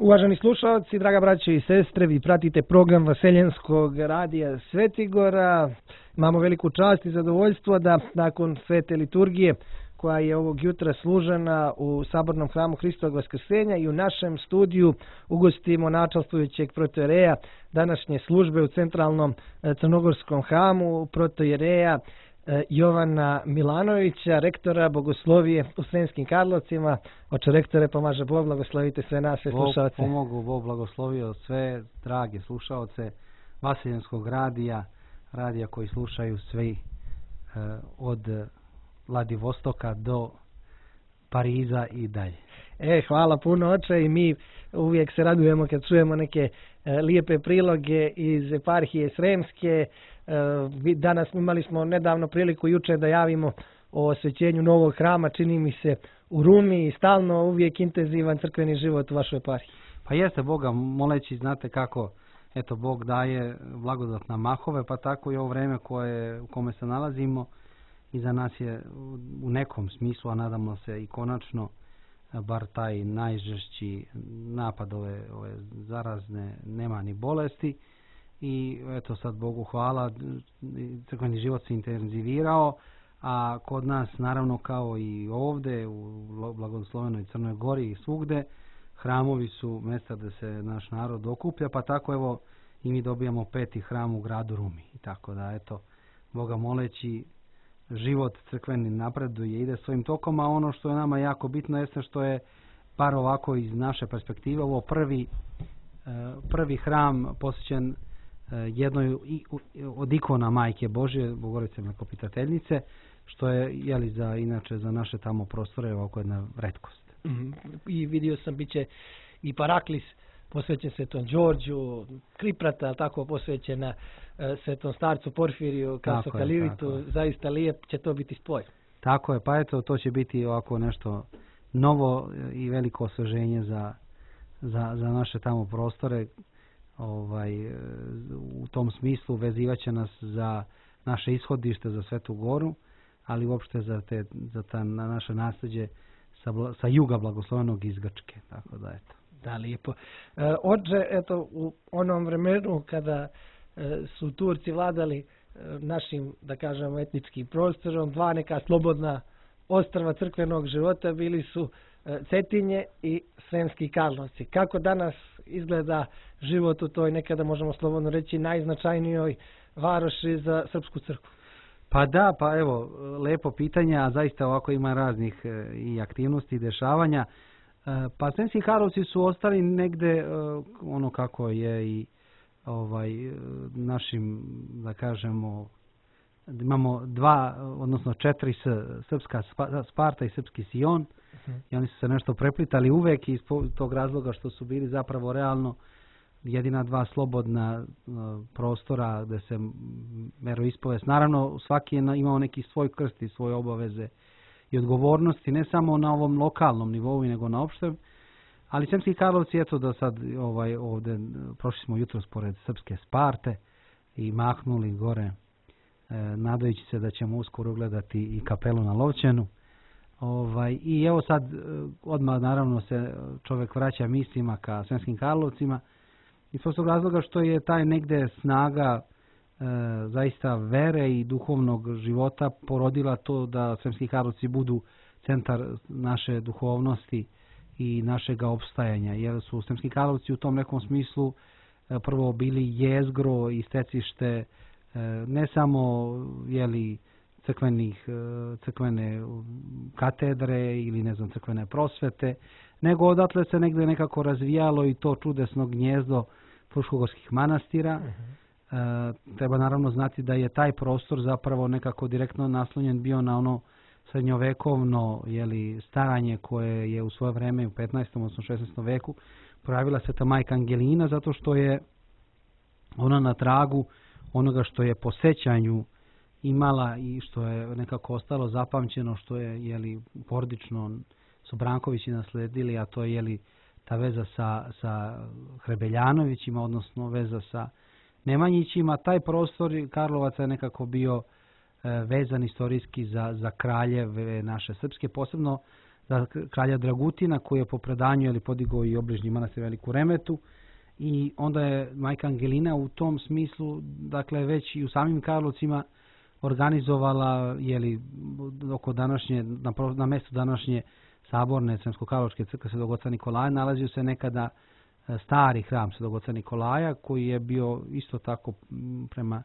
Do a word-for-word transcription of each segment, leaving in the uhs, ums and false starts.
Uvaženi slušalci, draga braćo i sestre, vi pratite program Vaseljenskog radija Svetigora. Imamo veliku čast i zadovoljstvo da nakon svete liturgije koja je ovog jutra služena u Sabornom hramu Hristovog Vaskrsenja i u našem studiju ugostimo načelstvujućeg protojereja današnje službe u centralnom crnogorskom hramu, protojereja Jovana Milanovića, rektora bogoslovije u Sremskim Karlovcima. Oče rektore, pomaže Bog, blagoslovite sve naše slušalce. Bog pomogu, Bog blagoslovio sve drage slušalce Vaseljenskog radija, radija koji slušaju svi eh, od Vladivostoka do Pariza i dalje. E, hvala puno, oče, i mi uvijek se radujemo kad čujemo neke e, lijepe priloge iz eparhije Sremske. E, danas imali smo nedavno priliku juče da javimo o osvećenju novog hrama, čini mi se, u Rumi, i stalno uvijek intenzivan crkveni život u vašoj eparhiji. Pa jeste, Boga moleći, znate kako, eto, Bog daje blagodat na mahove, pa tako i ovo vreme koje, u kome se nalazimo, i za nas je u nekom smislu, a nadamo se i konačno, bar taj najžešći napad ove, ove zarazne, nema ni bolesti. I eto, sad Bogu hvala, crkveni život se intenzivirao, a kod nas, naravno, kao i ovde u blagoslovenoj Crnoj Gori i svugde, hramovi su mjesta da se naš narod okuplja, pa tako evo i mi dobijamo peti hram u gradu Rumi. I tako da, eto, Boga moleći, život crkveni napreduje, ide svojim tokom, a ono što je nama jako bitno jeste što je, par ovako iz naše perspektive, ovo prvi, prvi hram posvećen jednoj od ikona Majke Božje, Bogorodice Mlekopitateljice, što je, jeli, za, inače za naše tamo prostore ovako jedna retkost. Mm, I vidio sam, bit će i Paraklis posvećen Svetom Đorđu, Kriprata, tako posvećena e, Svetom starcu Porfiriju, Kasokalivitu, zaista lijep će to biti spoj. Tako je, pa eto, to će biti ovako nešto novo i veliko osveženje za, za, za naše tamo prostore. Ovaj, u tom smislu vezivaće nas za naše ishodište, za Svetu Goru, ali uopšte za, te, za ta naše nasljeđe sa, sa juga blagoslovenog iz Grčke, tako da eto. Da, lijepo. E, oče, eto, u onom vremenu kada e, su Turci vladali e, našim, da kažemo, etničkim prostorom, dva neka slobodna ostrva crkvenog života bili su e, Cetinje i Sremski Karlovci. Kako danas izgleda život u toj, nekada možemo slobodno reći, najznačajnijoj varoši za srpsku crkvu? Pa da, pa evo, lepo pitanje, a zaista ovako ima raznih e, i aktivnosti i dešavanja. Pa Sremski Karlovci su ostali negde ono kako je i ovaj našim, da kažemo, imamo dva, odnosno četiri s, srpska Sparta i srpski Sion, uh-huh. I oni su se nešto preplitali uvek iz tog razloga što su bili zapravo realno jedina dva slobodna uh, prostora gde se veroispovest. Naravno, svaki je imao neki svoj krst i svoje obaveze i odgovornosti, ne samo na ovom lokalnom nivou, nego na opštem. Ali Sremski Karlovci, eto da sad ovaj, ovde, prošli smo jutros pored srpske Sparte i mahnuli gore, e, nadajući se da ćemo uskoro gledati i kapelu na Lovćenu. Ovaj, I evo sad, odmah naravno se čovjek vraća mislima ka Sremskim Karlovcima, iz prostog razloga što je taj negde snaga E, zaista vere i duhovnog života porodila to da Sremski Karlovci budu centar naše duhovnosti i našega opstajanja, jer su Sremski Karlovci u tom nekom smislu e, prvo bili jezgro i stecište e, ne samo, jeli, crkvenih, e, crkvene katedre ili ne znam, crkvene prosvete, nego odatle se negde nekako razvijalo i to čudesno gnjezdo fruškogorskih manastira. Uh-huh. E, treba naravno znati da je taj prostor zapravo nekako direktno naslonjen bio na ono srednjovekovno, jeli, staranje koje je u svoje vreme u petnaestom odnosno šesnaestom veku projavila Sveta Majka Angelina, zato što je ona na tragu onoga što je po sećanju imala i što je nekako ostalo zapamćeno, što je, jeli, porodično su Brankovići nasledili, a to je, jeli, ta veza sa, sa Hrebeljanovićima, odnosno veza sa Nemanjićima. Taj prostor Karlovaca je nekako bio e, vezan istorijski za, za kraljeve naše srpske, posebno za kralja Dragutina koji je po predanju ili podigao i obližnji manastir Veliku Remetu. I onda je majka Angelina u tom smislu, dakle već i u samim Karlovcima organizovala jeli, oko današnje, na, na mjestu današnje saborne Sremsko-Karlovačke crkve Svetog oca Nikolaja nalazio se nekada stari hram Svetog oca Nikolaja koji je bio isto tako prema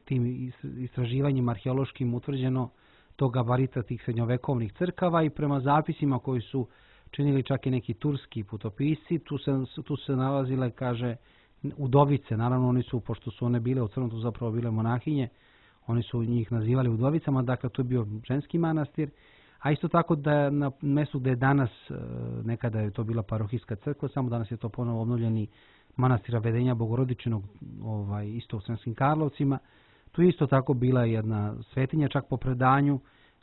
tim istraživanjima arheološkim utvrđeno to gabarita tih srednjovekovnih crkava i prema zapisima koji su činili čak i neki turski putopisci, tu se, tu se nalazile, kaže, udovice. Naravno, oni su, pošto su one bile u Crnotu zapravo bile monahinje, oni su njih nazivali udovicama, dakle, to je bio ženski manastir. A isto tako da na mjestu gdje je danas, nekada je to bila parohijska crkva, samo danas je to ponovo obnovljeni manastira Vedenja Bogorodičinog, ovaj, isto u Sremskim Karlovcima. Tu isto tako bila jedna svetinja, čak po predanju,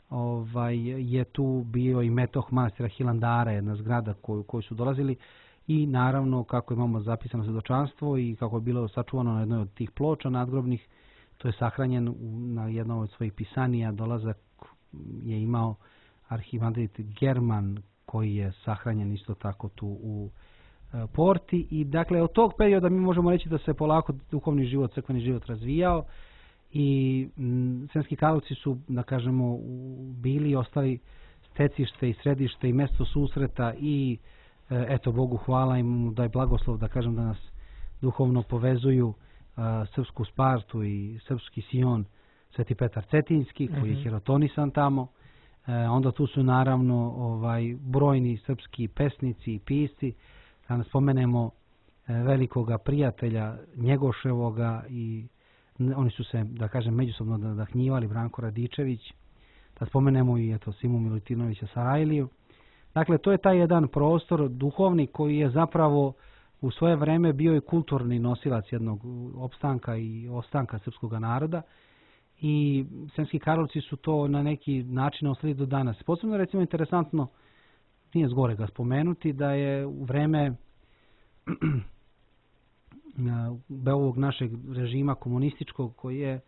ovaj, je tu bio i metoh manastira Hilandara, jedna zgrada koju, koju su dolazili i naravno kako imamo zapisano svjedočanstvo i kako je bilo sačuvano na jednoj od tih ploča nadgrobnih, to je sahranjen na jednom od svojih pisanija, dolazak je imao arhimandrit German koji je sahranjen isto tako tu u e, Porti i dakle od tog perioda mi možemo reći da se polako duhovni život, crkveni život razvijao i m, Sremski Karlovci su, da kažemo, bili i ostali stecište i središte i mjesto susreta i e, eto Bogu hvala im da je blagoslov da kažem da nas duhovno povezuju a, srpsku Spartu i srpski Sion Sveti Petar Cetinski koji je hirotonisan tamo. E, onda tu su naravno ovaj brojni srpski pesnici i pisci. Da ne spomenemo e, velikoga prijatelja Njegoševoga i oni su se, da kažem, međusobno nadahnjivali, Branko Radičević. Da spomenemo i eto Simu Milutinovića Sarajliju. Dakle, to je taj jedan prostor duhovni koji je zapravo u svoje vreme bio i kulturni nosilac jednog opstanka i ostanka srpskog naroda. I Sremski Karlovci su to na neki način ostali do danas. Posebno recimo interesantno, nije zgore ga spomenuti, da je u vreme ovog našeg režima komunističkog koji je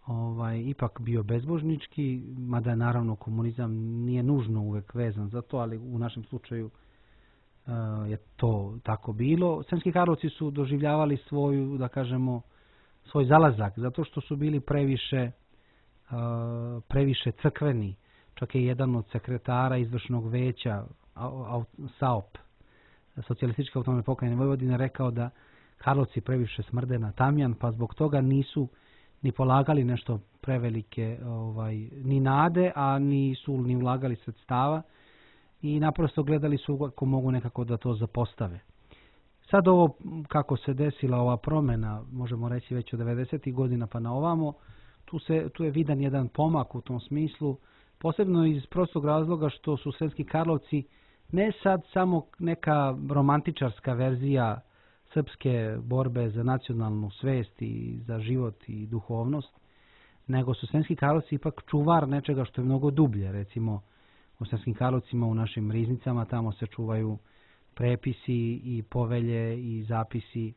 ovaj, ipak bio bezbožnički, mada je naravno komunizam nije nužno uvek vezan za to, ali u našem slučaju uh, je to tako bilo. Sremski Karlovci su doživljavali svoju, da kažemo, svoj zalazak, zato što su bili previše, uh, previše crkveni. Čak je jedan od sekretara izvršnog veća S A O P, Socijalističke autonomne pokrajine Vojvodine, rekao da Karlovci previše smrde na tamjan, pa zbog toga nisu ni polagali nešto prevelike ovaj, ni nade, a nisu ni ulagali sredstava i naprosto gledali su ako mogu nekako da to zapostave. Sad ovo, kako se desila ova promjena, možemo reći već od devedesetih godina pa na ovamo, tu, se, tu je vidan jedan pomak u tom smislu, posebno iz prostog razloga što su Sremski Karlovci ne sad samo neka romantičarska verzija srpske borbe za nacionalnu svest i za život i duhovnost, nego su Sremski Karlovci ipak čuvar nečega što je mnogo dublje. Recimo u Sremskim Karlovcima u našim riznicama tamo se čuvaju prepisi i povelje i zapisi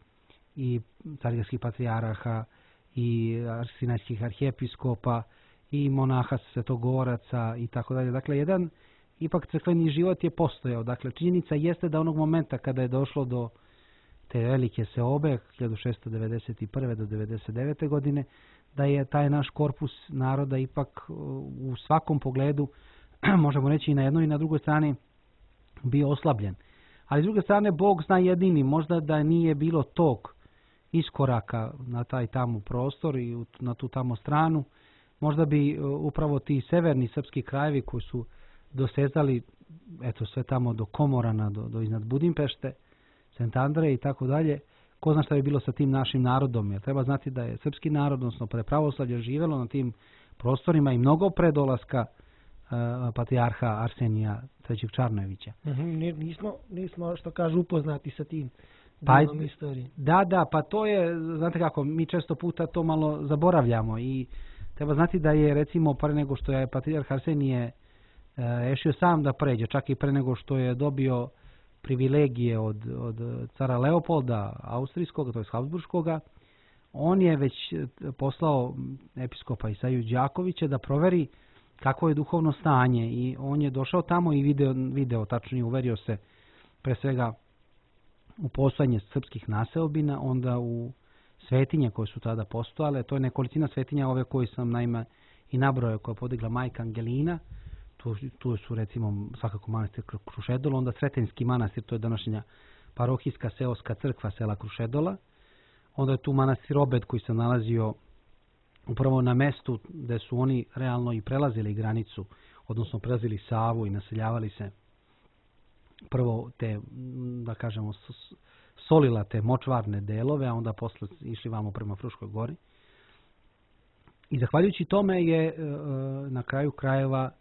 i carigradskih patrijaraha i sinajskih arhijepiskopa i monaha svetogoraca i tako dalje. Dakle, jedan ipak crkveni život je postojao. Dakle, činjenica jeste da onog momenta kada je došlo do te velike seobe hiljadu šessto devedeset prve do devedeset devete godine, da je taj naš korpus naroda ipak u svakom pogledu, možemo reći i na jednoj i na drugoj strani, bio oslabljen. Ali s druge strane, Bog zna jedini, možda da nije bilo tog iskoraka na taj tamo prostor i na tu tamo stranu, možda bi upravo ti severni srpski krajevi koji su dosezali eto sve tamo do Komorana, do, do iznad Budimpešte, Sent Andreje i tako dalje, ko zna šta bi bilo sa tim našim narodom, jer treba znati da je srpski narod, odnosno pre pravoslavlja, živelo na tim prostorima i mnogo pre dolaska uh, patrijarha Arsenija trećeg Čarnojevića. Mm-hmm, nismo, nismo, što kažu, upoznati sa tim pa, delom istorije. Da, da, pa to je, znate kako, mi često puta to malo zaboravljamo i treba znati da je, recimo, pre nego što je patrijarh Arsenije uh, ešio sam da pređe, čak i pre nego što je dobio privilegije od, od cara Leopolda Austrijskog, to je Habsburškoga, on je već poslao episkopa Isaju Đakovića da proveri kako je duhovno stanje i on je došao tamo i video, video tačnije uverio se pre svega u postojanje srpskih naseobina, onda u svetinje koje su tada postojale. To je nekolicina svetinja ove koje sam naime i nabrojao, koje je podigla majka Angelina. Tu, tu su recimo svakako manastir Krušedol, onda Sretenjski manastir, to je današnja parohijska seoska crkva sela Krušedola. Onda je tu manastir Obed koji se nalazio upravo na mestu gde su oni realno i prelazili granicu, odnosno prelazili Savu i naseljavali se prvo te, da kažemo, solila te močvarne delove, a onda posle išli vamo prema Fruškoj gori. I zahvaljujući tome je na kraju krajeva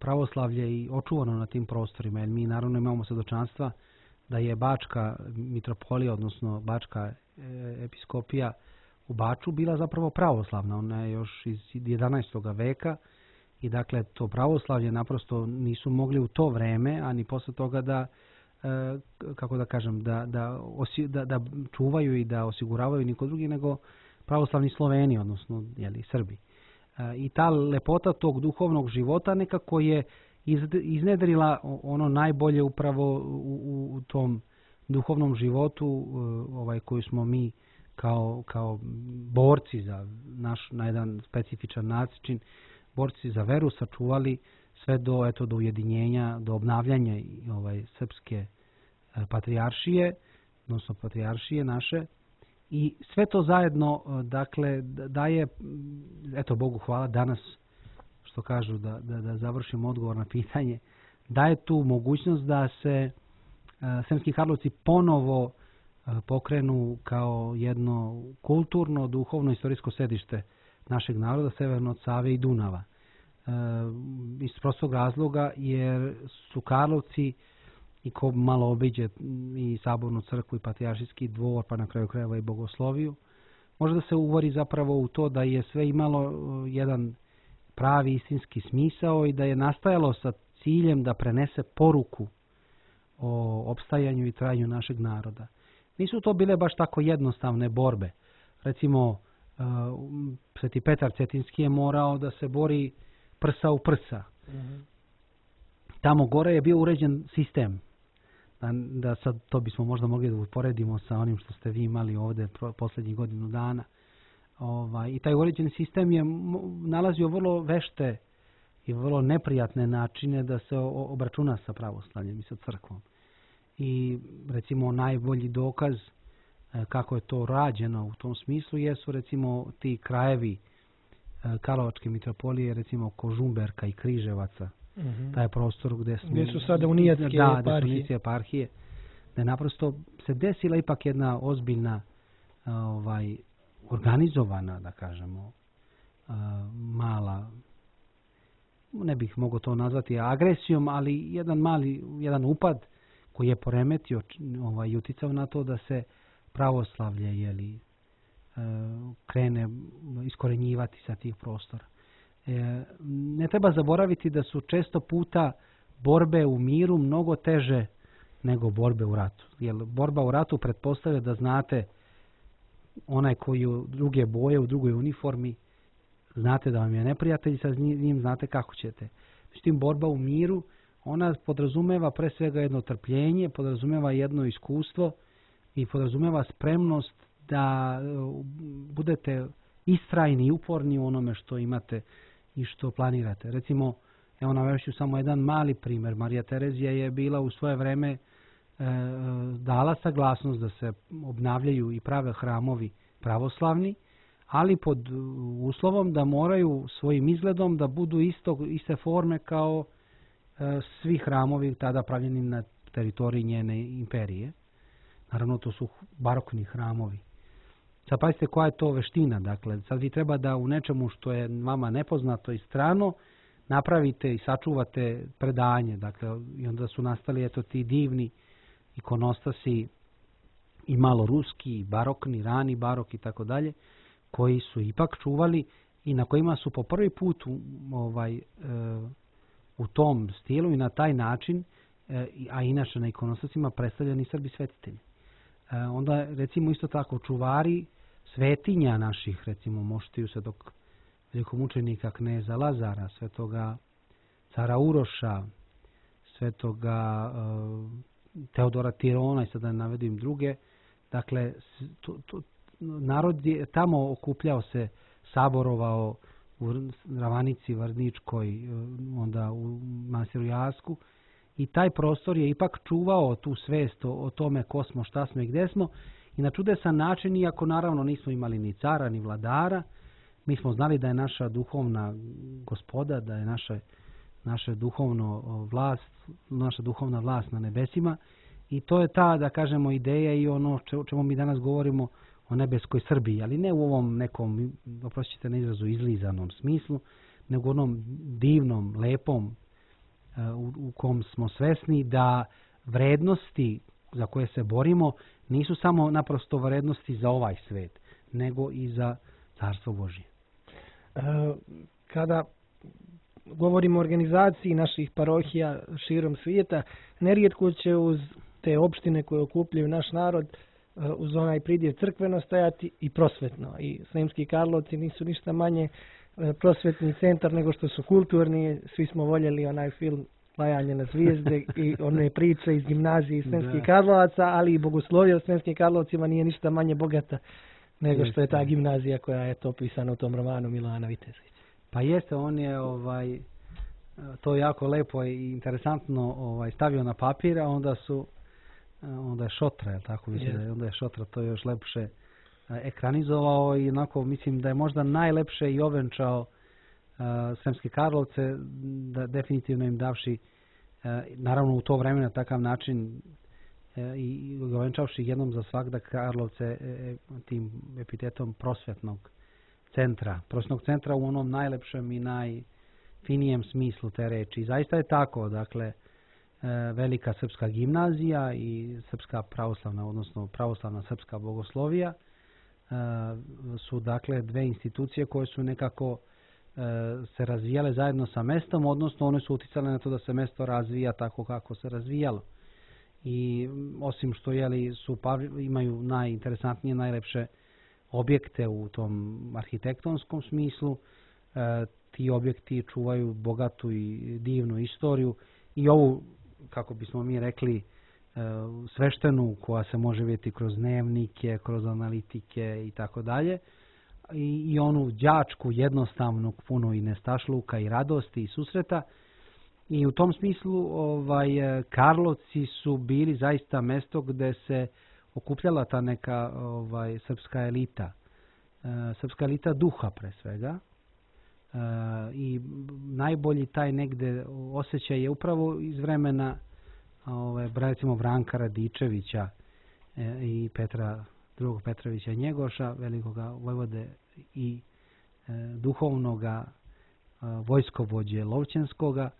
pravoslavlje i očuvano na tim prostorima, jer mi naravno imamo svedočanstva da je Bačka mitropolija, odnosno Bačka episkopija u Baču bila zapravo pravoslavna. Ona je još iz jedanaestog veka i dakle to pravoslavlje naprosto nisu mogli u to vreme, a ni posle toga da, kako da kažem, da, da, osi, da, da čuvaju i da osiguravaju niko drugi nego pravoslavni Sloveni, odnosno jeli, Srbi. I ta lepota tog duhovnog života nekako je iznedrila ono najbolje upravo u, u tom duhovnom životu ovaj, koji smo mi kao, kao borci za naš na jedan specifičan način, borci za veru sačuvali sve do, eto, do ujedinjenja, do obnavljanja ovaj, srpske patrijaršije, odnosno patrijaršije naše. I sve to zajedno, dakle, daje, eto Bogu hvala, danas, što kažu, da, da, da završim odgovor na pitanje, daje tu mogućnost da se uh, Sremski Karlovci ponovo uh, pokrenu kao jedno kulturno, duhovno, istorijsko sedište našeg naroda, severno od Save i Dunava. Uh, iz prostog razloga jer su Karlovci, i ko malo obiđe i Sabornu crkvu i Patrijaršijski dvor, pa na kraju krajeva i Bogosloviju, može da se uvori zapravo u to da je sve imalo jedan pravi istinski smisao i da je nastajalo sa ciljem da prenese poruku o opstajanju i trajanju našeg naroda. Nisu to bile baš tako jednostavne borbe. Recimo, Sveti Petar Cetinski je morao da se bori prsa u prsa. Mm-hmm. Tamo gore je bio uređen sistem. Da, da sad to bismo možda mogli da uporedimo sa onim što ste vi imali ovde posljednjih godinu dana. Ovaj, I taj uređeni sistem je nalazio vrlo vešte i vrlo neprijatne načine da se obračuna sa pravoslavljem i sa crkvom. I recimo najbolji dokaz kako je to rađeno u tom smislu jesu recimo ti krajevi Karlovačke mitropolije, recimo Kožumberka i Križevaca. Mm-hmm. Taj prostor gdje, smo, gdje su sada unijatske da, eparhije. Da, eparhije. Da je naprosto se desila ipak jedna ozbiljna, ovaj, organizovana, da kažemo, mala, ne bih mogao to nazvati agresijom, ali jedan mali, jedan upad koji je poremetio, ovaj, uticao na to da se pravoslavlje jeli, krene iskorenjivati sa tih prostora. Ne treba zaboraviti da su često puta borbe u miru mnogo teže nego borbe u ratu. Jer borba u ratu pretpostavlja da znate onaj koji u druge boje, u drugoj uniformi, znate da vam je neprijatelj, sa njim znate kako ćete. Međutim, borba u miru, ona podrazumeva pre svega jedno trpljenje, podrazumeva jedno iskustvo i podrazumeva spremnost da budete istrajni i uporni u onome što imate i što planirate. Recimo, evo navešću samo jedan mali primjer. Marija Terezija je bila u svoje vreme e, dala saglasnost da se obnavljaju i prave hramovi pravoslavni, ali pod uslovom da moraju svojim izgledom da budu isto, iste forme kao e, svi hramovi tada pravljeni na teritoriji njene imperije. Naravno, to su barokni hramovi. Sad pazite koja je to veština. Dakle, sad vi treba da u nečemu što je vama nepoznato i strano napravite i sačuvate predanje. Dakle, i onda su nastali eto ti divni ikonostasi i malo ruski, i barokni, rani barok i tako dalje, koji su ipak čuvali i na kojima su po prvi put u, ovaj, e, u tom stilu i na taj način, e, a inače na ikonostasima predstavljeni Srbi svetitelji. E, onda recimo isto tako čuvari svetinja naših, recimo Moštiju Svetog velikomučenika kneza Lazara, svetoga cara Uroša, svetoga uh, Teodora Tirona i sada navedim druge. Dakle, to, to, narod je tamo okupljao se, saborovao u Ravanici, Vrničkoj, onda u manastiru Jasku i taj prostor je ipak čuvao tu svest o, o tome ko smo, šta smo i gde smo i na čudesan način, iako naravno nismo imali ni cara, ni vladara, mi smo znali da je naša duhovna gospoda, da je naša, naša duhovno vlast, naša duhovna vlast na nebesima i to je ta, da kažemo, ideja i ono o čemu mi danas govorimo o nebeskoj Srbiji, ali ne u ovom nekom, oprostite na izrazu, izlizanom smislu, nego u onom divnom, lepom u, u kom smo svesni da vrednosti za koje se borimo nisu samo naprosto vrednosti za ovaj svet, nego i za Carstvo Božje. Kada govorimo o organizaciji naših parohija širom svijeta, nerijetko će uz te opštine koje okupljaju naš narod uz onaj pridjev crkveno stajati i prosvetno. I Sremski Karlovci nisu ništa manje prosvetni centar nego što su kulturni. Svi smo voljeli onaj film Lajanje na zvijezde i one priče iz gimnazije iz Sremskih Karlovaca, ali i bogoslovija u Sremskim Karlovcima nije ništa manje bogata nego što je ta gimnazija koja je to opisana u tom romanu Milana Vitezića. Pa jeste, on je ovaj, to jako lepo i interesantno ovaj, stavio na papir, a onda su onda je Šotra, je tako mislim, yes. onda je Šotra to još lepše ekranizovao i onako mislim da je možda najlepše i ovenčao uh, Sremske Karlovce, da definitivno im davši uh, naravno u to vreme na takav način uh, i ovenčavši jednom za svak da Karlovce uh, tim epitetom prosvetnog centra, prosvetnog centra u onom najlepšem i najfinijem smislu te reči. I zaista je tako, dakle, velika srpska gimnazija i srpska pravoslavna, odnosno pravoslavna srpska bogoslovija su dakle dve institucije koje su nekako se razvijale zajedno sa mestom, odnosno one su uticale na to da se mesto razvija tako kako se razvijalo. I osim što jeli, su, imaju najinteresantnije, najlepše objekte u tom arhitektonskom smislu, ti objekti čuvaju bogatu i divnu istoriju i ovu, kako bismo mi rekli, sveštenu koja se može vidjeti kroz dnevnike, kroz analitike i tako dalje. I onu đačku, jednostavnu, puno i nestašluka i radosti i susreta. I u tom smislu ovaj, Karlovci su bili zaista mesto gde se okupljala ta neka ovaj, srpska elita. Srpska elita duha pre svega. Uh, i najbolji taj negde osjećaj je upravo iz vremena ove, recimo Branka Radičevića e, i Petra drugog Petrovića Njegoša, velikoga vojvode i e, duhovnoga e, vojskovođe Lovćenskoga.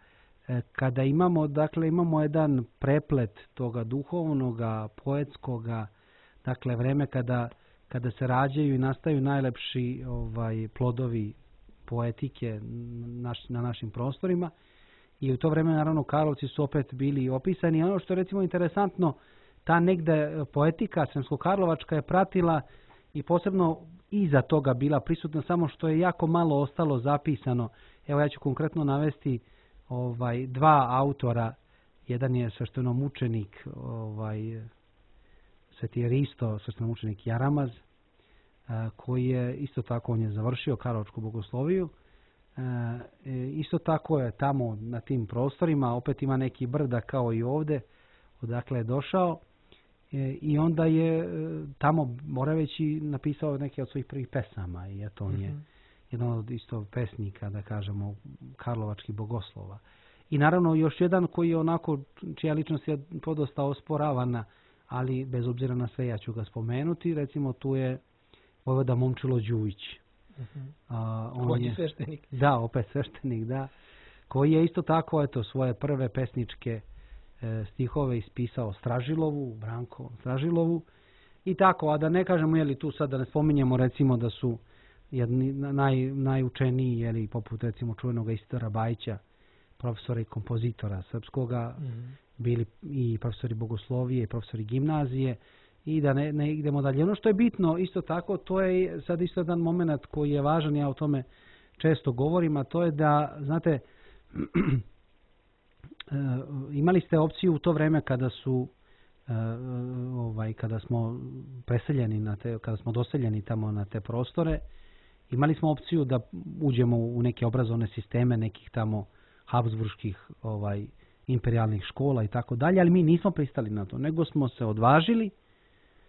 E, kada imamo, dakle, imamo jedan preplet toga duhovnoga, poetskoga, dakle, vreme kada, kada se rađaju i nastaju najlepši ovaj, plodovi poetike naš, na našim prostorima i u to vreme naravno Karlovci su opet bili opisani. Ono što je recimo interesantno, ta negde poetika sremsko-karlovačka je pratila i posebno iza toga bila prisutna, samo što je jako malo ostalo zapisano. Evo ja ću konkretno navesti ovaj, dva autora. Jedan je sveštenomučenik ovaj, Sveti Risto, sveštenomučenik Jaramaz, koji je isto tako, on je završio Karlovačku bogosloviju. E, isto tako je tamo na tim prostorima, opet ima neki brda kao i ovde, odakle je došao. E, I onda je tamo Moraveći napisao neke od svojih prvih pesama i eto on je mm-hmm. jedan od isto pesnika, da kažemo, karlovačkih bogoslova. I naravno još jedan koji je onako, čija ličnost je podosta osporavana, ali bez obzira na sve ja ću ga spomenuti. Recimo tu je vojvoda Momčilo Đujić. Uh-huh. A, on koji je je sveštenik. Da, opet sveštenik, da. Koji je isto tako, eto, svoje prve pesničke e, stihove ispisao Stražilovu, Branko Stražilovu. I tako, a da ne kažemo, jeli tu sad da ne spominjemo recimo da su jedni naj, najučeniji, jeli, poput recimo čuvenog Isidora Bajića, profesora i kompozitora srpskoga, mm-hmm. bili i profesori bogoslovije i profesori gimnazije. I da ne, ne idemo dalje. Ono što je bitno, isto tako, to je sad isto jedan moment koji je važan, ja o tome često govorim, a to je da, znate, imali ste opciju u to vrijeme kada su ovaj, kada smo preseljeni na te, kada smo doseljeni tamo na te prostore, imali smo opciju da uđemo u neke obrazovne sisteme nekih tamo habsburških ovaj, imperijalnih škola i tako dalje, ali mi nismo pristali na to, nego smo se odvažili,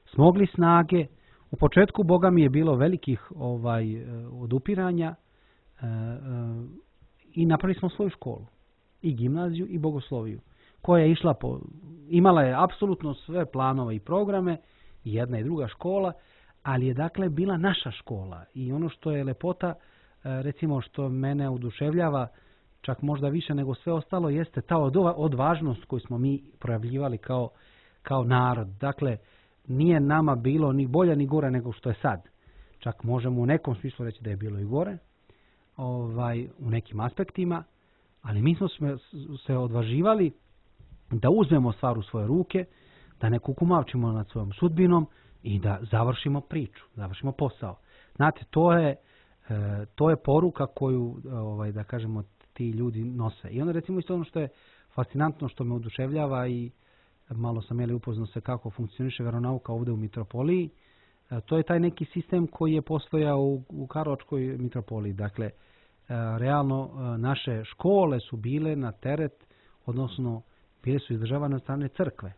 smogli snage. U početku, Boga mi, je bilo velikih ovaj, odupiranja e, e, i napravili smo svoju školu, i gimnaziju i bogosloviju, koja je išla po, imala je apsolutno sve planove i programe, i jedna i druga škola, ali je dakle bila naša škola. I ono što je lepota, recimo što mene oduševljava, čak možda više nego sve ostalo, jeste ta odvažnost koju smo mi projavljivali kao, kao narod. Dakle, nije nama bilo ni bolje ni gore nego što je sad. Čak možemo u nekom smislu reći da je bilo i gore, ovaj, u nekim aspektima, ali mi smo se odvaživali da uzmemo stvar u svoje ruke, da ne kukumavčimo nad svojom sudbinom i da završimo priču, završimo posao. Znate, to je, to je poruka koju, ovaj, da kažemo, ti ljudi nose. I onda recimo isto ono što je fascinantno, što me oduševljava, i malo sam jeli upoznao se kako funkcioniše veronauka ovdje u mitropoliji, to je taj neki sistem koji je postojao u, u Karlovačkoj mitropoliji. Dakle, realno naše škole su bile na teret, odnosno bile su izdržavane od strane crkve.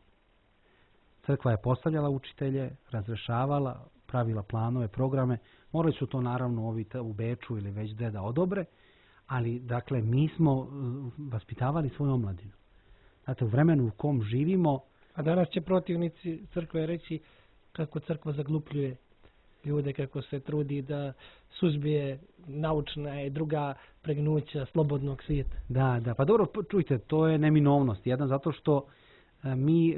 Crkva je postavljala učitelje, razrešavala, pravila planove, programe. Morali su to naravno ovi u Beču ili već gde da odobre, ali dakle mi smo vaspitavali svoju omladinu. Znate, u vremenu u kom živimo... A danas će protivnici crkve reći kako crkva zaglupljuje ljude, kako se trudi da suzbije naučna i druga pregnuća slobodnog svijeta. Da, da, pa dobro, čujte, to je neminovnost. Jedan, zato što mi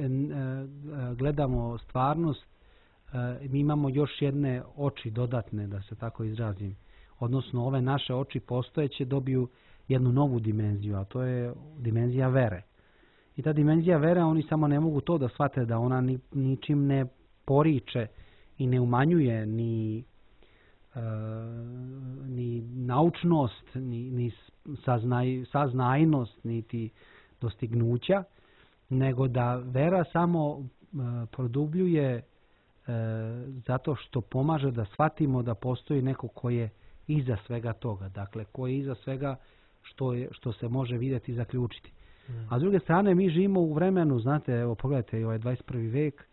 gledamo stvarnost, mi imamo još jedne oči dodatne, da se tako izrazim. Odnosno, ove naše oči postojeće dobiju jednu novu dimenziju, a to je dimenzija vere. I ta dimenzija vere, oni samo ne mogu to da shvate, da ona ni, ničim ne poriče i ne umanjuje ni, e, ni naučnost, ni, ni saznaj, saznajnost, niti dostignuća, nego da vera samo e, produbljuje e, zato što pomaže da shvatimo da postoji neko ko je iza svega toga. Dakle, ko je iza svega što, je, što se može vidjeti i zaključiti. Mm. A s druge strane, mi živimo u vremenu, znate, evo pogledajte, ovaj dvadeset prvi vek,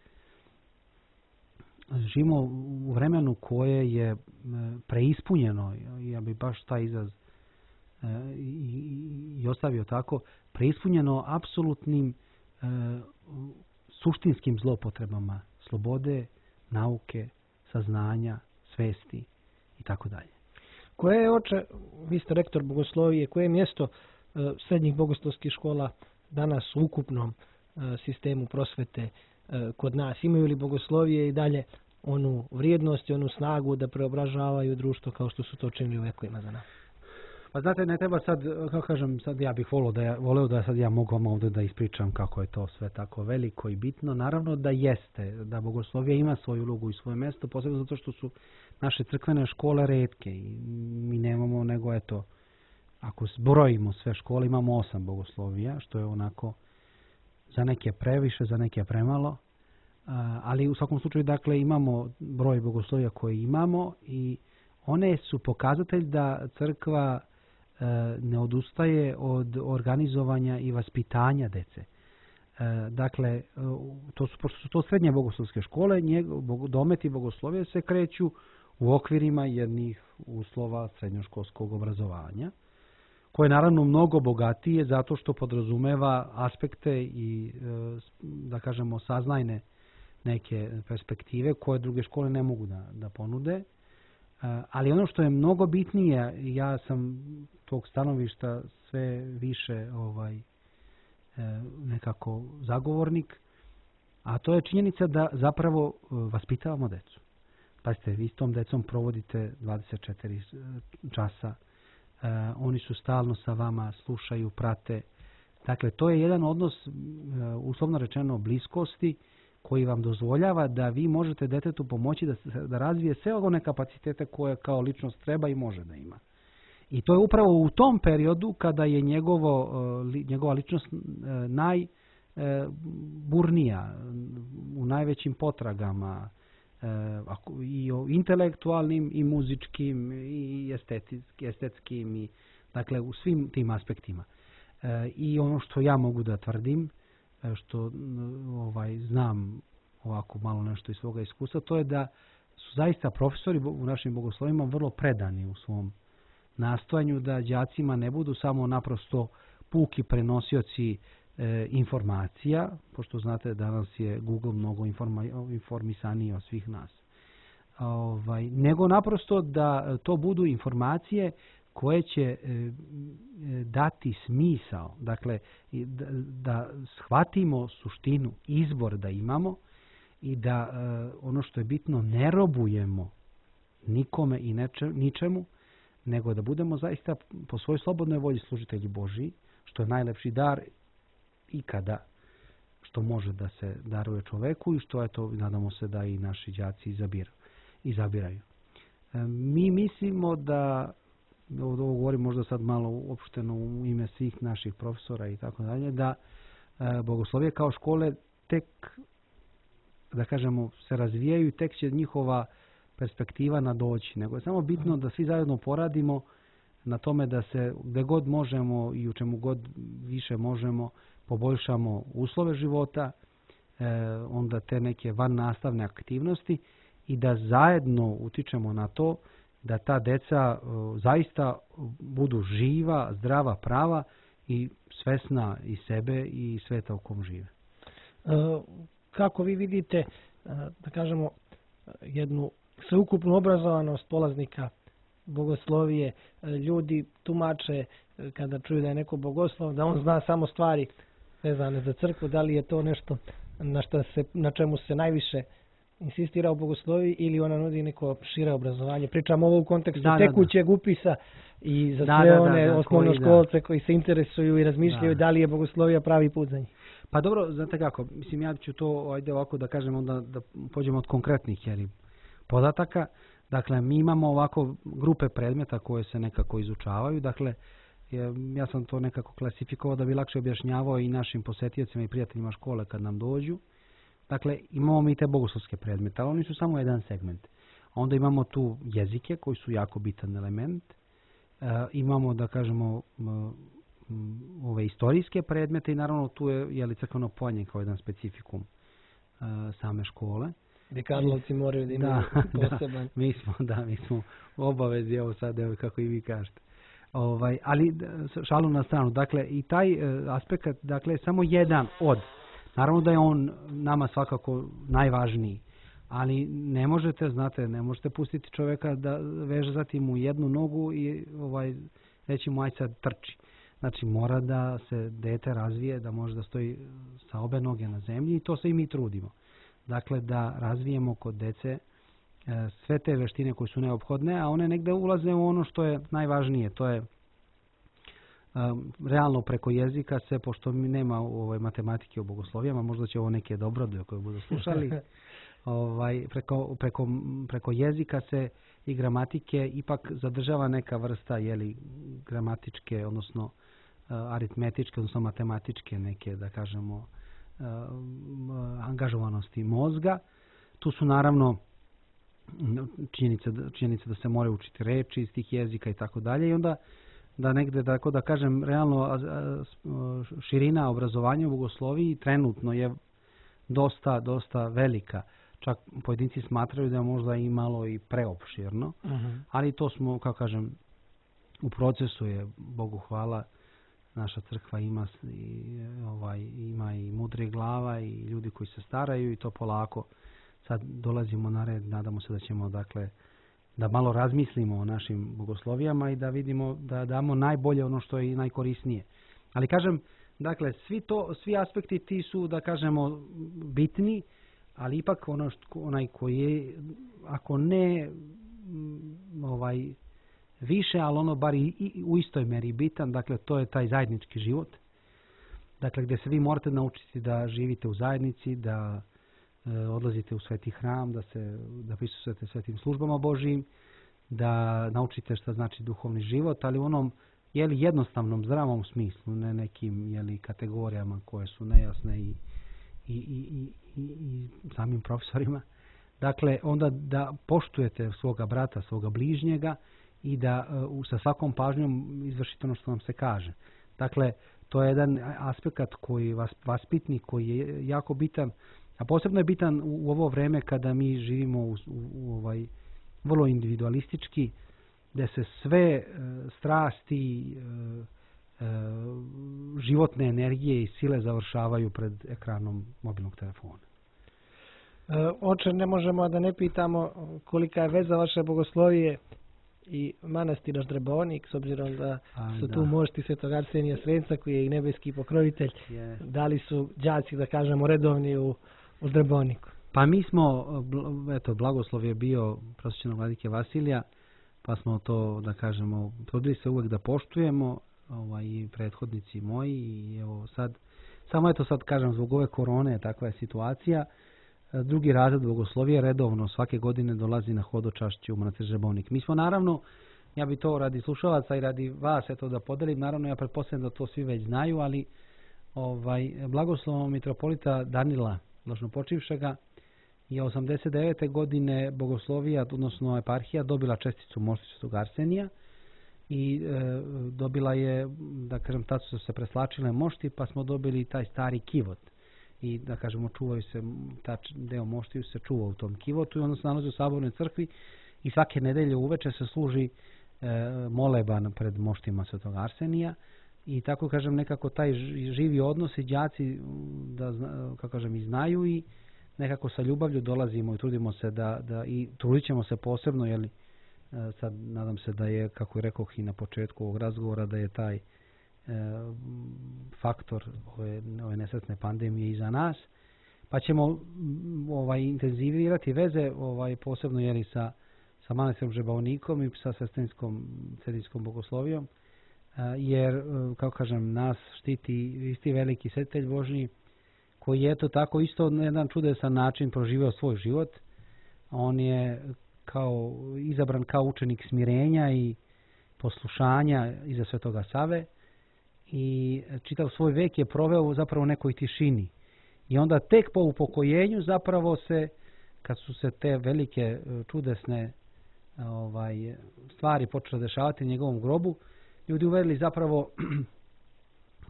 živimo u vremenu koje je preispunjeno, ja bih baš taj izraz i, i ostavio tako, preispunjeno apsolutnim e, suštinskim zlopotrebama slobode, nauke, saznanja, svesti i tako dalje. Koje je, oče, vi ste rektor bogoslovije, koje je mjesto e, srednjih bogoslovskih škola danas u ukupnom e, sistemu prosvete e, kod nas? Imaju li bogoslovije i dalje onu vrijednost i onu snagu da preobražavaju društvo kao što su to činili u vekovima za nas? Pa znate, ne treba sad, kako kažem, sad ja bih volio da ja, volio da sad ja mogu vam ovdje da ispričam kako je to sve tako veliko i bitno. Naravno da jeste, da bogoslovija ima svoju ulogu i svoje mjesto, posebno zato što su naše crkvene škole retke i mi nemamo nego, eto, ako zbrojimo sve škole, imamo osam bogoslovija, što je onako za neke previše, za neke premalo, ali u svakom slučaju, dakle, imamo broj bogoslovija koje imamo i one su pokazatelj da crkva ne odustaje od organizovanja i vaspitanja dece. Dakle, to su, pošto su to srednje bogoslovske škole, dometi bogoslovije se kreću u okvirima jednih uslova srednjoškolskog obrazovanja, koje je naravno mnogo bogatije zato što podrazumeva aspekte i, da kažemo, saznajne neke perspektive koje druge škole ne mogu da, da ponude. Ali ono što je mnogo bitnije, ja sam tog stanovišta sve više ovaj nekako zagovornik, a to je činjenica da zapravo vaspitavamo decu. Pazite, vi s tom decom provodite dvadeset četiri časa, oni su stalno sa vama, slušaju, prate. Dakle, to je jedan odnos, uslovno rečeno, bliskosti, koji vam dozvoljava da vi možete detetu pomoći da, da razvije sve one kapacitete koje kao ličnost treba i može da ima. I to je upravo u tom periodu kada je njegovo, njegova ličnost najburnija, u najvećim potragama, i o intelektualnim i muzičkim i estetskim, i, dakle u svim tim aspektima. I ono što ja mogu da tvrdim, što ovaj, znam ovako malo nešto iz svoga iskustva, to je da su zaista profesori u našim bogoslovima vrlo predani u svom nastojanju da đacima ne budu samo naprosto puki prenosioci e, informacija, pošto znate danas je Google mnogo informa, informisaniji od svih nas. Ovaj, nego naprosto da to budu informacije koje će e, dati smisao, dakle da, da shvatimo suštinu, izbor da imamo i da e, ono što je bitno ne robujemo nikome i neče, ničemu, nego da budemo zaista po svojoj slobodnoj volji služitelji Božiji, što je najlepši dar ikada što može da se daruje čoveku i što je to, nadamo se da i naši đaci izabir, izabiraju. E, mi mislimo da, ovo govorim možda sad malo uopšteno u ime svih naših profesora i tako dalje, da e, bogoslovije kao škole tek, da kažemo, se razvijaju i tek će njihova perspektiva nadoći, nego je samo bitno da svi zajedno poradimo na tome da se gde god možemo i u čemu god više možemo poboljšamo uslove života, e, onda te neke van nastavne aktivnosti i da zajedno utičemo na to da ta deca e, zaista budu živa, zdrava, prava i svesna i sebe i sveta u kom žive. E, kako vi vidite, e, da kažemo, jednu sveukupnu obrazovanost polaznika bogoslovije, ljudi tumače kada čuju da je neko bogoslov, da on zna samo stvari vezane za crkvu, da li je to nešto na, šta se, na čemu se najviše insistira u bogosloviji ili ona nudi neko šire obrazovanje. Pričamo ovo u kontekstu da, tekućeg da, da. upisa i za da, sve da, one da, da, osnovnoškolce koji, koji se interesuju i razmišljaju da. da li je bogoslovija pravi put za njih. Pa dobro, znate kako, mislim ja ću to ajde ovako da kažem onda da pođemo od konkretnih jeli, podataka. Dakle, mi imamo ovako grupe predmeta koje se nekako izučavaju. Dakle, ja sam to nekako klasifikovao da bi lakše objašnjavao i našim posetiocima i prijateljima škole kad nam dođu. Dakle, imamo mi te bogoslovske predmete, ali oni su samo jedan segment. Onda imamo tu jezike koji su jako bitan element. E, imamo, da kažemo, ove istorijske predmete i naravno tu je, je li crkveno pojenje kao jedan specifikum e, same škole. Gdje Karlovci moraju da imaju da, poseban. Da, mi smo, da, mi smo u obavezi, evo sad, evo, kako i vi kažete. Ovaj, ali šalu na stranu, dakle, i taj e, aspekt, dakle, samo jedan od. Naravno da je on nama svakako najvažniji, ali ne možete, znate, ne možete pustiti čovjeka da vežati mu jednu nogu i ovaj, reći mu aj sad trči. Znači, mora da se dete razvije, da može da stoji sa obe noge na zemlji i to se i mi trudimo. Dakle, da razvijemo kod dece e, sve te veštine koje su neophodne, a one negde ulaze u ono što je najvažnije. To je e, realno preko jezika se, pošto mi nema ovaj, matematike u bogoslovijama, možda će ovo neke dobrodve koje budu slušali, ovaj, preko, preko, preko jezika se i gramatike ipak zadržava neka vrsta jeli, gramatičke, odnosno e, aritmetičke, odnosno matematičke neke, da kažemo, angažovanosti mozga. Tu su naravno činjenice, činjenice da se moraju učiti reči iz tih jezika i tako dalje i onda da negde, tako da kažem, realno širina obrazovanja u bogosloviji trenutno je dosta, dosta velika. Čak pojedinci smatraju da je možda i malo i preopširno, uh-huh. ali to smo, kako kažem, u procesu je, Bogu hvala, naša crkva ima i, ovaj, ima i mudre glava i ljudi koji se staraju i to polako sad dolazimo na red. Nadamo se da ćemo, dakle, da malo razmislimo o našim bogoslovijama i da vidimo da damo najbolje ono što je i najkorisnije. Ali kažem, dakle, svi to, svi aspekti ti su, da kažemo, bitni, ali ipak ono što, onaj koji je, ako ne ovaj više, ali ono bar i, i u istoj meri bitan, dakle to je taj zajednički život. Dakle, gdje se vi morate naučiti da živite u zajednici, da e, odlazite u sveti hram, da se da prisustvujete svetim službama Božijim, da naučite šta znači duhovni život, ali u onom jeli, jednostavnom, zdravom smislu, ne nekim jeli, kategorijama koje su nejasne i, i, i, i, i samim profesorima. Dakle, onda da poštujete svoga brata, svoga bližnjega i da uh, sa svakom pažnjom izvršite ono što vam se kaže. Dakle, to je jedan aspekt koji vas vaspitni, koji je jako bitan, a posebno je bitan u, u ovo vreme kada mi živimo u, u, u ovaj vrlo individualistički, gdje se sve e, strasti, e, e, životne energije i sile završavaju pred ekranom mobilnog telefona. E, oče, ne možemo da ne pitamo kolika je veza vaše bogoslovije i manastira Ždrebonik, s obzirom da A, su da. tu mošti Svetog Arsenija Svenca, koji je i nebeski pokrovitelj. Yes. Da li su đaci, da kažemo, redovni u, u Ždreboniku? Pa mi smo, eto, blagoslov je bio prosvećenog vladike Vasilija, pa smo to, da kažemo, trudili se uvijek da poštujemo, ovaj, i prethodnici moji, i evo sad, samo eto sad kažem, zbog ove korone, takva je situacija. Drugi razred bogoslovije redovno svake godine dolazi na hodočašće u manastir Ždrebonik. Mi smo naravno, ja bi to radi slušalaca i radi vas eto da podelim, naravno ja pretpostavljam da to svi već znaju, ali ovaj, blagoslovom mitropolita Danila Blaženopočivšega je osamdeset devete godine bogoslovija, odnosno eparhija, dobila česticu mošti Svetog Arsenija i e, dobila je, da kažem, tad su se preslačile mošti, pa smo dobili taj stari kivot. I da kažemo, čuvaju se, ta deo moštiju se čuva u tom kivotu i onda se nalazi u Sabornoj crkvi i svake nedelje uveče se služi e, moleban pred moštima Svetog Arsenija i tako kažem, nekako taj živi odnos i đaci, da, kako kažem, i znaju i nekako sa ljubavlju dolazimo i trudimo se da, da i trudit ćemo se posebno, jeli, sad nadam se da je, kako je rekoh i na početku ovog razgovora, da je taj e, faktor ove, ove nesretne pandemije iza nas, pa ćemo ovaj, intenzivirati veze ovaj, posebno jeli, sa, sa manastirom Ždrebonikom i sa sestrinskom cedinskom bogoslovijom, e, jer, kako kažem, nas štiti isti veliki svetitelj Božji, koji je to tako isto na jedan čudesan način proživio svoj život. On je kao izabran kao učenik smirenja i poslušanja iza Svetoga Save i čitav svoj vek je proveo zapravo u nekoj tišini. I onda tek po upokojenju zapravo se, kad su se te velike čudesne ovaj, stvari počele dešavati u njegovom grobu, ljudi uverili zapravo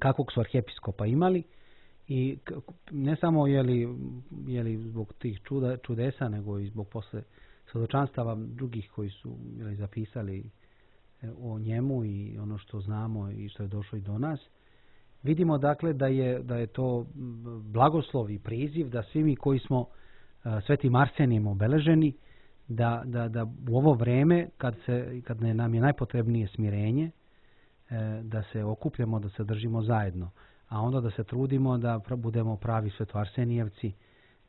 kakvog su arhijepiskopa imali. I ne samo jeli, jeli zbog tih čuda, čudesa, nego i zbog posle svjedočanstava drugih koji su jeli, zapisali o njemu i ono što znamo i što je došlo i do nas. Vidimo dakle da je, da je to blagoslov i priziv da svi mi koji smo uh, Svetim Arsenijem obeleženi, da, da, da u ovo vreme kad, se, kad nam je najpotrebnije smirenje, uh, da se okupljamo, da se držimo zajedno. A onda da se trudimo da budemo pravi svetoarsenijevci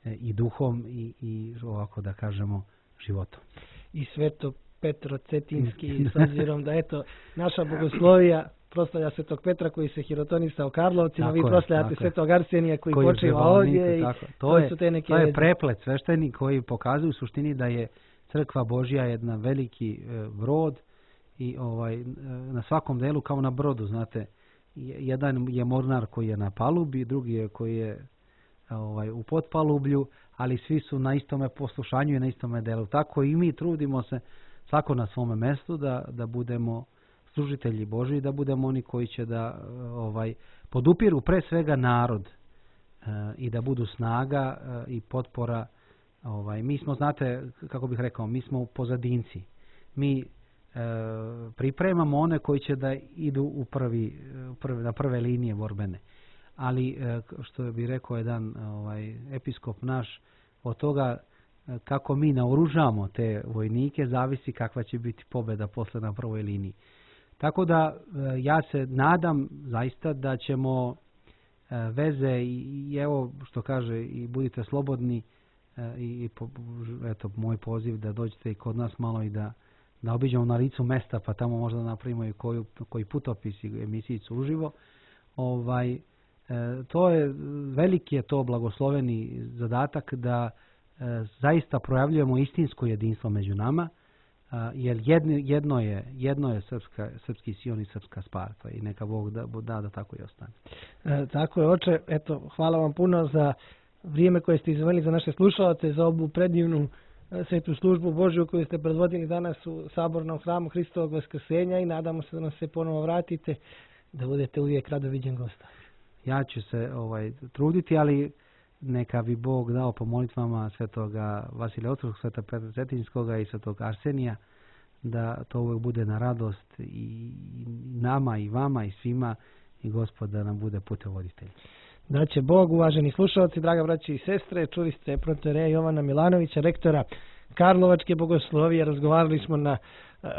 i duhom i, i ovako da kažemo životom. I Sveto Petro Cetinski, s obzirom da eto naša bogoslovija proslavlja Svetog Petra koji se hirotonisao Karlovcima, vi proslavljate Svetog Arsenija koji, koji počiva ovdje. I tako. To, to, je, su te neke to je preplet svešteni koji pokazuju u suštini da je crkva Božja jedna veliki e, brod i ovaj e, na svakom delu kao na brodu, znate, jedan je mornar koji je na palubi, drugi je koji je ovaj, u potpalublju, ali svi su na istome poslušanju i na istome delu. Tako i mi trudimo se svako na svome mjestu da, da budemo služitelji Božji, da budemo oni koji će da ovaj, podupiru pre svega narod e, i da budu snaga e, i potpora. Ovaj, mi smo, znate, kako bih rekao, mi smo pozadinci. Mi E, pripremamo one koji će da idu u prvi, prvi, na prve linije borbene. Ali, e, što bi rekao jedan ovaj, episkop naš, od toga e, kako mi naoružamo te vojnike, zavisi kakva će biti pobjeda posle na prvoj liniji. Tako da, e, ja se nadam zaista da ćemo e, veze i, i evo što kaže i budite slobodni e, i, i po, eto moj poziv da dođete i kod nas malo i da da obiđemo na licu mesta, pa tamo možda napravimo i koju, koji putopis i emisijicu uživo. Ovaj, e, to je, veliki je to blagosloveni zadatak da e, zaista projavljujemo istinsko jedinstvo među nama, e, jer jedno, jedno je, jedno je srpska, srpski Sion i srpska Sparta i neka Bog da, da, da tako i ostane. E, tako je, oče. Eto, hvala vam puno za vrijeme koje ste izdvojili za naše slušalce, za ovu predivnu svetu službu Božju koju ste predvodili danas u Sabornom hramu Hristovog Vaskrsenja i nadamo se da nam se ponovo vratite, da budete uvijek rado viđen gosta. Ja ću se ovaj, truditi, ali neka bi Bog dao po molitvama svetoga Vasilija Otrog, sveta Petra Cetinjskoga i svetog Arsenija, da to uvijek bude na radost i nama i vama i svima i Gospod da nam bude putevoditelj. Da će Bog, uvaženi slušalci, draga braći i sestre, čuli ste protoreja Jovana Milanovića, rektora Karlovačke bogoslovije. Razgovarali smo na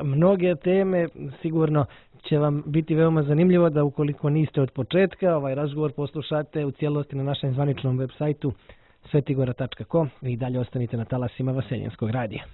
mnoge teme, sigurno će vam biti veoma zanimljivo da ukoliko niste od početka, ovaj razgovor poslušate u cijelosti na našem zvaničnom web sajtu svetigora tačka com i dalje ostanite na talasima Vaseljenskog radija.